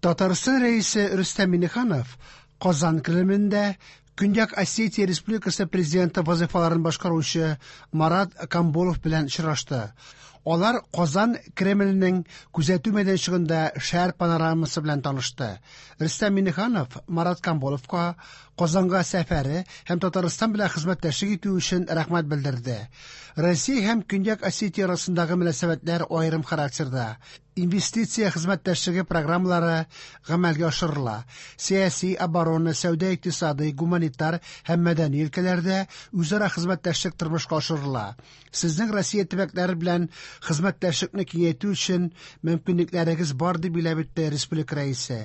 Татарстан Рәисе Рөстәм Миңнеханов Казан Кремлендә Көньяк Осетия Республикасы президенты вазыйфаларын башкаручы Марат Камболов белән очрашты. Алар Казан Кремленең күзәтү мәйданчыгында шәһәр панорамасы белән танышты. Рөстәм Миңнеханов Марат Камболовка Казанга сәфәре һәм Татарстан белән хезмәттәшлек итү өчен рәхмәт белдерде. Россия һәм Көньяк Осетия арасындагы мөнәсәбәтләр аерым характерда. Инвестиция хезмәттәшлеге программалары гамәлгә ашырыла. Сәяси, оборона, сәүдә-икътисадый, гуманитар һәм мәдәни өлкәләрдә үзара хезмәттәшлек тормышка ашырыла. Сезнең Россия төбәкләре белән хезмәттәшлекне киңәйтү өчен мөмкинлекләрегез бар, дип билгеләп үтте республика Рәисе.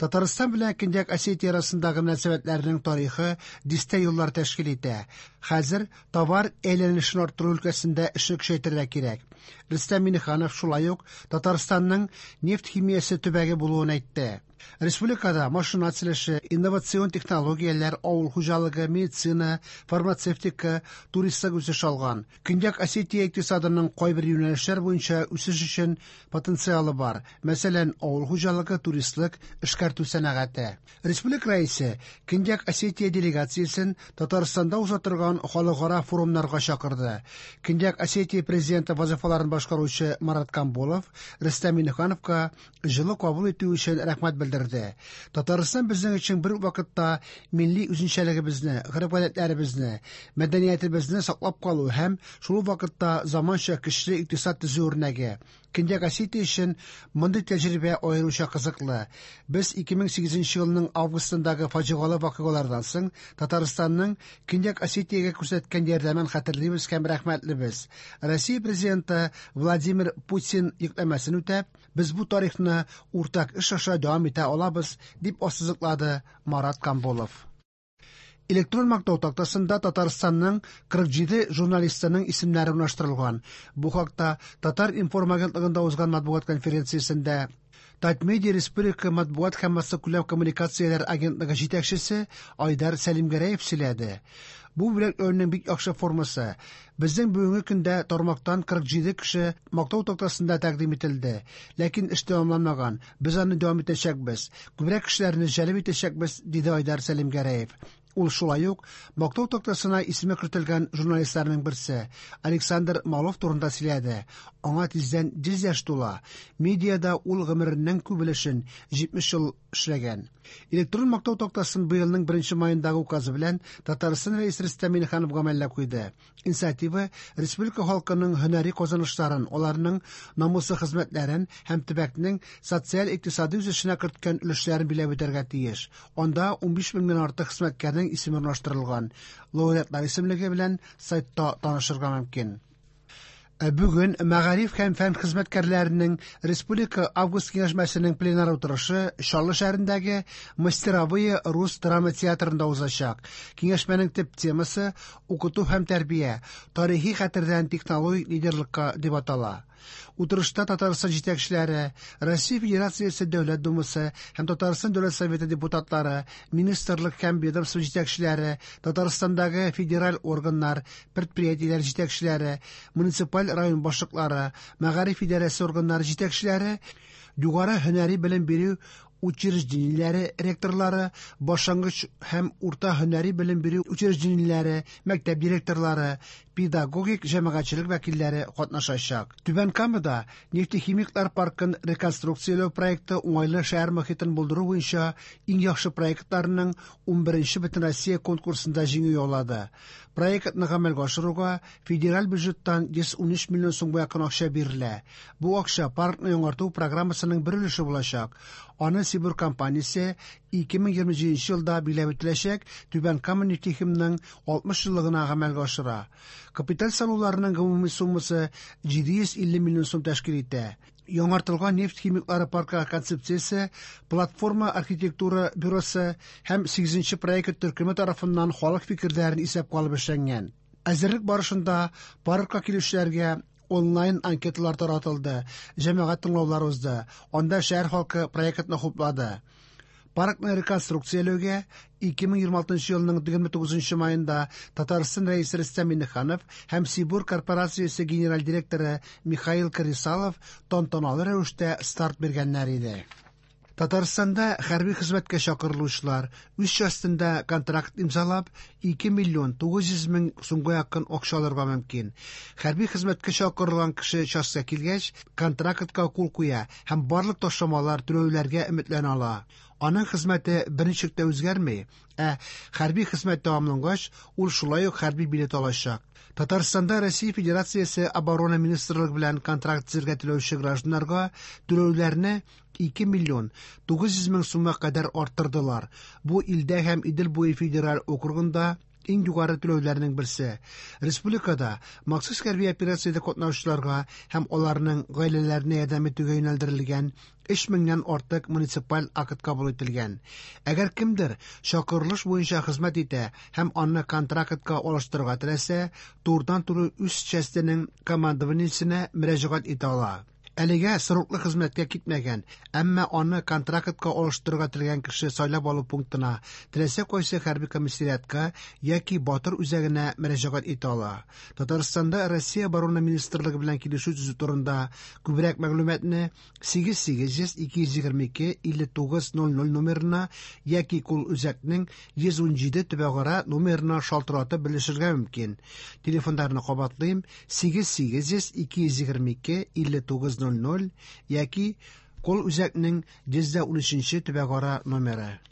Татарстан белән Көньяк Осетия арасындагы мөнәсәбәтләрнең тарихы дистә еллар тәшкил итә. Хәзер товар әйләнешен арттыру өлкәсендә эшне көчәйтергә кирәк. Рөстәм Миңнеханов шулай ук Татарстанның нефть химиясе төбәге булуын әйтте. Республикада машина төзелеше, инновацион технологияләр, авыл хуҗалыгы, медицина, фармацевтика, туристлык үсеш алган. Көньяк Осетия икътисадының кайбер юнәлешләр буенча үсеш өчен потенциалы бар. Мәсәлән, авыл хуҗалыгы, туристлык, эшкәртү сәнәгате. Республика Рәисе Көньяк Осетия делегациясен Татарстанда уза торган халыкара форумнарга чакырды. Көньяк Осетия президенты вазыйфаларын башкаручы Марат Камболов Рөстәм Миңнехановка җылы кабул итү өчен рәхмәт белдерде. Татарстан безнең өчен бер үк вакытта милли үзенчәлегебезне, гореф-гадәтләребезне, мәдәниятебезне саклап калу һәм шул ук вакытта заманча көчле икътисад төзү үрнәге. Көньяк Осетия өчен мондый тәҗрибә аеруча кызыклы. Без 2008 елның августындагы фаҗигале вакыйгалардан соң Татарстанның Көньяк Осетиягә күрсәткән ярдәмен хәтерлибез һәм рәхмәтлебез. Россия Президенты Владимир Путин йөкләмәсен үтәп, без бу тарихны уртак эш аша дәвам итә алабыз, дип ассызыклады Марат Камболов. Электрон мактау тактасында Татарстанның 47 журналистының исемнәре урнаштырылган. Бу хакта Татар-информ агентлыгында узган матбугат конференциясендә Татмедиа республика матбугат һәм массакүләм коммуникацияләр агентлыгы җитәкчесе Айдар Сәлимгәрәев сөйләде. Бу бүләкләүнең бик яхшы формасы. Безнең бүгенге көндә тармактан 47 кеше мактау тактасында тәкъдим ителде. Ләкин эш тәмамланмаган. Без аны дәвам итәчәкбез. Күбрәк кешеләрне җәлеп итәчәкбез, диде Айдар Сәлимгәрәев. Ул шулай ук мактау тактасына исеме кертелгән журналистларның берсе Александр Малов турында сөйләде. Аңа тиздән 100 яшь тула. Медиада ул гомеренең күп өлешен 70 ел эшләгән. Электрон мактау тактасын быелның 1 маендагы указы белән Татарстан Рәисе Рөстәм Миңнеханов гамәлгә куйды. Инициатива республика халкының һөнәри казанышларын, аларның намуслы хезмәтләрен һәм төбәкнең социаль-икътисади үсешенә керткән өлешләрен биләп үтәргә тиеш. Анда 15 меңнән артык хезмәткәрнең исеме урнаштырылган. Лауреатлар исемлеге белән сайтта танышырга мөмкин. Ә бүген мәгариф һәм фән хезмәткәрләренең республика август киңәшмәсенең пленар утырышы Чаллы шәһәрендәге Мастеровые рус драма театрында узачак. Киңәшмәнең төп темасы укыту һәм тәрбия, тарихи хәтердән технологик лидерлыкка дип атала. Утырышта Татарстан җитәкчеләре, Россия Федерациясе Дәүләт Думасы һәм Татарстан Дәүләт Советы депутатлары, министрлык һәм ведомство җитәкчеләре, Татарстандагы федераль органнар, предприятиеләр җитәкчеләре, муниципаль район башлыклары, мәгариф идарәсе органнары җитәкчеләре, югары һөнәри белем бирү учреждениеләре ректорлары, башлангыч һәм урта һөнәри белем бирү учреждениеләре, мәктәп директорлары, педагогик җәмәгатьчелек вәкилләре катнашачак. Түбән Камада нефтехимиклар паркын реконструкцияләү проекты уңайлы шәһәр мохитен булдыру буенча иң яхшы проектларның 11нче Бөтенроссия конкурсында җиңү яулады. Проектны гамәлгә ашыруга федераль бюджеттан 113 миллион сумга якын акча бирелә. Бу акча паркны яңарту программасының бер өлеше булачак. Аны Сибур компаниясе 2027 елда биләп үтеләчәк Түбән Кама нефтехимның 60 еллыгына гамәлгә ашыра. Капиталь салуларының гомуми суммасы 750 миллион сум тәшкил итә. Яңартылган нефть химиклары паркы концепциясе Платформа архитектура бюросы һәм 8нче проект төркеме тарафыннан халык фикерләрен исәпкә алып эшләнгән. Әзерлек барышында паркка килүчеләргә онлайн анкеталар таратылды, җәмәгать тыңлаулар узды. Анда шәһәр халкы проектны хуплады. Паркны реконструкцияләүгә 2026 елның 29 маенда Татарстан Рәисе Рөстәм Миңнеханов һәм Сибур корпорациясе генераль директоры Михаил Карисалов тантаналы рәвештә старт биргәннәр иде. Татарстанда хәрби хезмәткә чакырылучылар үз частендә контракт имзалап 2 миллион 900 мең сумга якын акча алырга мөмкин. Хәрби хезмәткә чакырылган кеше частька килгәч, контрактка кул куя һәм барлык ташламалар түләүләргә өметләнә ала. Аның хезмәте берничек тә үзгәрми, ә хәрби хезмәт тәмамлангач, ул шулай ук хәрби билет алачак. Татарстанда Россия Федерациясе Оборона Министрлыгы белән контракт төзергә теләүче гражданнарга түләүләрне 2 миллион 900 мең сумга кадәр арттырдылар. Бу илдә һәм Идел буе федераль округында иң югары түләүләрнең берсе. Республикада махсус хәрби операциядә катнашучыларга һәм аларның гаиләләренә ярдәм итүгә юнәлдерелгән 3 меңнән артык муниципаль акт кабул ителгән. Әгәр кемдер чакырылыш буенча хезмәт итә һәм аны контрактка алыштырырга теләсә, турыдан-туры үз частенең командованиесенә мөрәҗәгать итә ала. Әлегә сроклы хезмәткә китмәгән, әмма аны контрактка алыштырырга теләгән кеше сайлап алу пунктына, теләсә кайсы хәрби комиссариатка яки Батыр үзәгенә мөрәҗәгать итә ала. Татарстанда Россия Оборона Министрлыгы белән килешү төзү турында күбрәк мәгълүматны 8800 222 5900 номерына яки кул үзәкнең 117 төбәгара номерына шалтыратып белешергә мөмкин. Телефоннарны кабатлыйм: 8800 222 5900 яки кол үзәкнең 113 төбәгара номеры.